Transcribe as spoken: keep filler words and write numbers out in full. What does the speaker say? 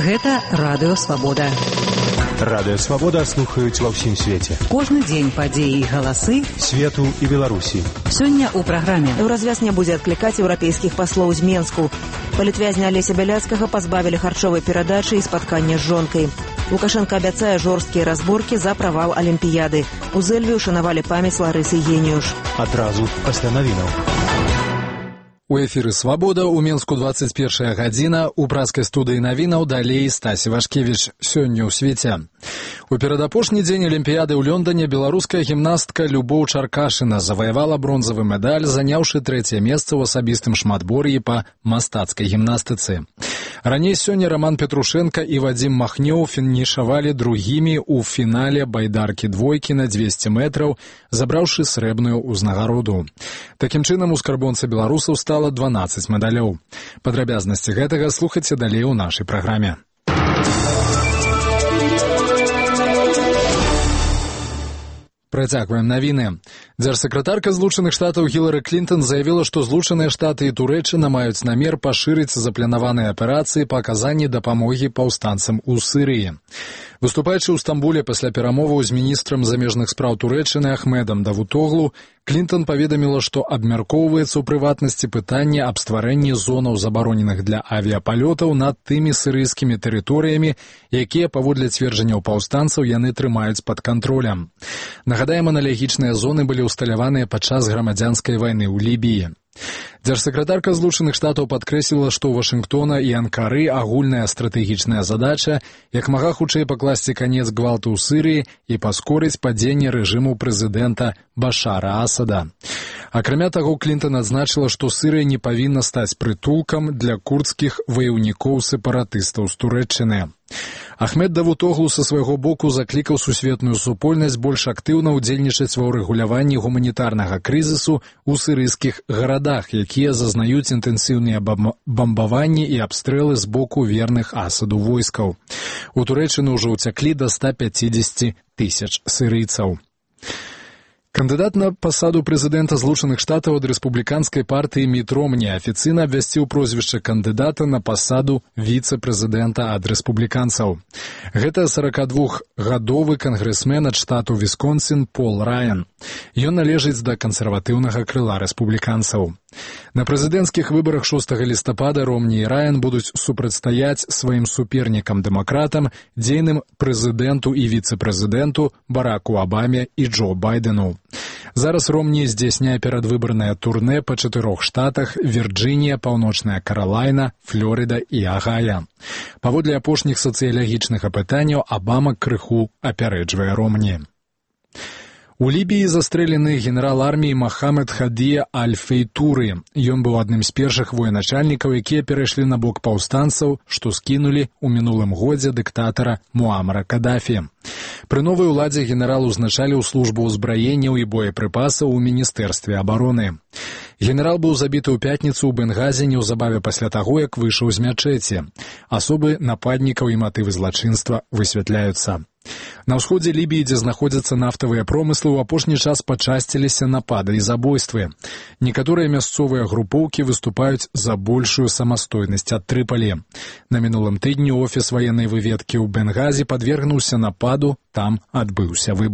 Гэта Радыё Свабода. Радыё Свабода слухаюць ва ўсім свеце. Кожны дзень падзеі і галасы свету і Беларусі. Сёння ў праграме. Еўразвяз не будзе адклікаць еўрапейскіх паслоў з Менску. Палітвязня Алеся Бяляцкага пазбавілі харчовай перадачы і спаткання з жонкай. Лукашенко абяцае жорсткія разборкі за правал Алімпіяды. У Зэльве ушанавалі памяць Ларысы Геніюш. Адразу пасля навінаў. У эфіры «Свабода» у Менску двадцать первая гадзіна, у праскай студыі навінаў далей Стасі Вашкевіч. Сёння ў свеце. У перадапошні дзень Алімпіяды ў Лондоне беларуская гімнастка Любоў Чаркашына заваявала бронзавы медаль, заняўшы трэцяе месца ў асабістым шматбор'і па мастацкай гімнастыцы. Раней сёння Роман Петрушенко і Вадзім Махнёў фінішавалі другімі ў фінале байдаркі двойкі на дзвесце метраў, забраўшы срэбную ўзнагароду. Такім чынам у скарбонцы беларусаў стала дванаццаць медалёў. Падрабязнасці гэтага слухайце далей у нашай праграме. Працягваем навіны. Дзяржсакратарка Злучаных Штатаў Гілары Клінтон заявіла, што Злучаныя Штаты і Турэччына маюць намер пашырыць запланаваныя аперацыі па аказанні дапамогі паўстанцам у Сірыі. Выступаючы ў Стамбуле пасля перамоваў з міністрам замежных спраў Турэччыны Ахмедам Давутоглу, Клінтон паведаміла, што абмяркоўваецца ў прыватнасці пытанне аб стварэнні зонаў забароненых для авіяпалётаў над тымі сірыйскімі тэрыторыямі, якія, паводле цверджанняў паўстанцаў, яны трымаюць пад кантролем. Нагадаем, аналагічныя зоны былі ўсталяваныя падчас грамадзянскай вайны ў Лібіі. Дзяржсакратарка Злучаных Штатаў падкрэсліла, што ў Вашынгтона і Анкары агульная стратэгічная задача як мага хутчэй пакласці канец гвалту ў Сірыі і паскорыць падзенне рэжыму прэзідэнта Башара Асада. Акрамя таго, Клінтон адзначыла, што Сірыя не павінна стаць прытулкам для курдскіх ваяўнікоў-сепаратыстаў з Турэччыны. Ахмед Давутоглу са свайго боку заклікаў сусветную супольнасць больш актыўна ўдзельнічаць ва ўрэгуляванні гуманітарнага крызісу ў сірыйскіх гарадах, якія зазнаюць інтэнсіўныя бамбаванні і абстрэлы з боку верных Асаду войскаў. У Турэччыну ўжо ўцяклі да ста пяцідзесяці тысяч сірыйцаў. Кандыдат на пасаду прэзідэнта Злучаных Штатаў ад рэспубліканскай партыі Міт Ромні афіцыйна абвясціў прозвішча кандыдата на пасаду віцэ-прэзідэнта ад рэспубліканцаў. Гэта сорокадвухгадовы кангрэсмен ад штату Вісконсін Пол Раян. Ён належыць да кансерватыўнага крыла рэспубліканцаў. На прэзідэнцкіх выбарах шостага лістапада Ромні і Раян будуць супрацьстаяць сваім супернікам-дэмакратам, дзейным прэзідэнту і віцэ-прэзідэнту Бараку Абаме і Джо Байдену. Зараз Ромні здзяйсняе перадвыбарнае турнэ па чатырох штатах: Вірджынія, Паўночная Каралайна, Флорыда і Агая. Паводле апошніх сацыялагічных апытанняў Абама крыху апярэджвае Ромні. У Лібіі застрэлены генерал арміі Махамед Хадія Аль-Фейтуры. Ён быў адным з першых военачальнікаў, якія перайшлі на бок паўстанцаў, што скінулі ў мінулым годзе дыктатара Муамара Кадафі. Пры новай уладзе генерал узначаліў службу ўзбраенняў і боепрыпасаў у міністэрстве абароны. Генерал быў забіты ў пятніцу ў Бенгазе неўзабаве пасля таго, як выйшаў з мячэці. Асобы нападнікаў і матывы злачынства высвятляюцца. На ўсходзе Лібіі, дзе знаходзяцца нафтавыя промыслы, у апошні час пачасціліся напады і забойствы. Некаторыя мясцовыя групоўкі выступаюць за большую самастойнасць ад Трыпалі. На мінулым тыдні офіс ваеннай выведкі ў Бенгазе падвергнуўся нападу, там адбыўся выбух.